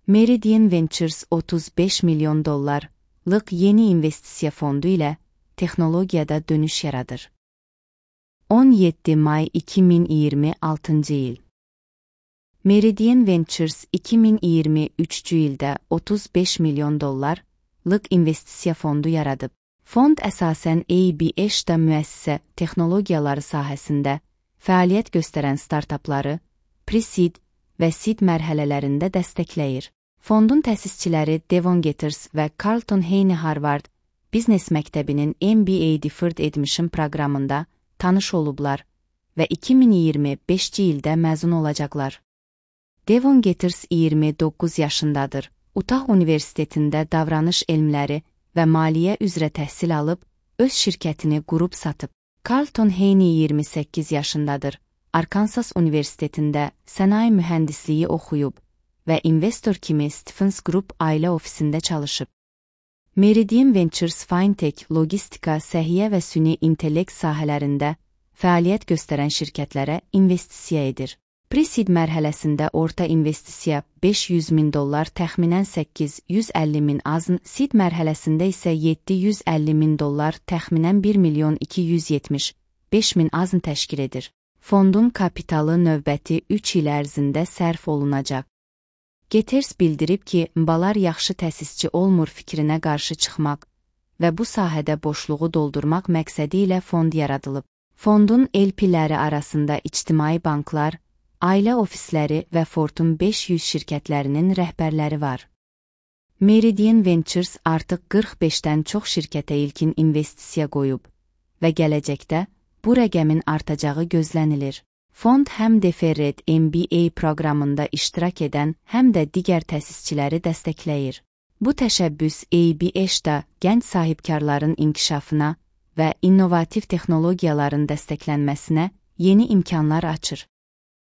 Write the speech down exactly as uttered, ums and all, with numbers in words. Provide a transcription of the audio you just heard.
Meridian Ventures otuz beş milyon dollarlık yeni investisiya fondu ilə texnologiyada dönüş yaradır. on yeddi may iki min iyirmi altıncı il. Meridian Ventures iki min iyirmi üçüncü ildə otuz beş milyon dollarlık investisiya fondu yaradıb. Fond əsasən A B H-da müəssisə texnologiyaları sahəsində fəaliyyət göstərən startapları pre-seed və seed mərhələlərində dəstəkləyir. Fondun təsisçiləri Devon Getters və Carlton Haney Harvard Biznes Məktəbinin M B A Deferred Admission proqramında tanış olublar və iki min iyirmi beşinci ildə məzun olacaqlar. Devon Getters iyirmi doqquz yaşındadır. Utah Universitetində davranış elmləri və maliyyə üzrə təhsil alıb, öz şirkətini qurub satıb. Carlton Haney iyirmi səkkiz yaşındadır. Arkansas Universitetində sənaye mühəndisliyi oxuyub və investor kimi Stephens Group ailə ofisində çalışıb. Meridian Ventures Fintech, logistika, səhiyyə və süni intellekt sahələrində fəaliyyət göstərən şirkətlərə investisiya edir. Pre-seed mərhələsində orta investisiya beş yüz min dollar, təxminən səkkiz yüz əlli min azın, seed mərhələsində isə yeddi yüz əlli min dollar, təxminən bir milyon iki yüz yetmiş beş min azın təşkil edir. Fondun kapitalı növbəti üç il ərzində sərf olunacaq. Getters bildirib ki, balar yaxşı təsisçi olmur fikrinə qarşı çıxmaq və bu sahədə boşluğu doldurmaq məqsədi ilə fond yaradılıb. Fondun L P-ləri arasında ictimai banklar, ailə ofisləri və Fortune beş yüz şirkətlərinin rəhbərləri var. Meridian Ventures artıq qırx beşdən çox şirkətə ilkin investisiya qoyub və gələcəkdə bu rəqəmin artacağı gözlənilir. Fond həm Deferred M B A proqramında iştirak edən, həm də digər təsisçiləri dəstəkləyir. Bu təşəbbüs A B H-da gənc sahibkarların inkişafına və innovativ texnologiyaların dəstəklənməsinə yeni imkanlar açır.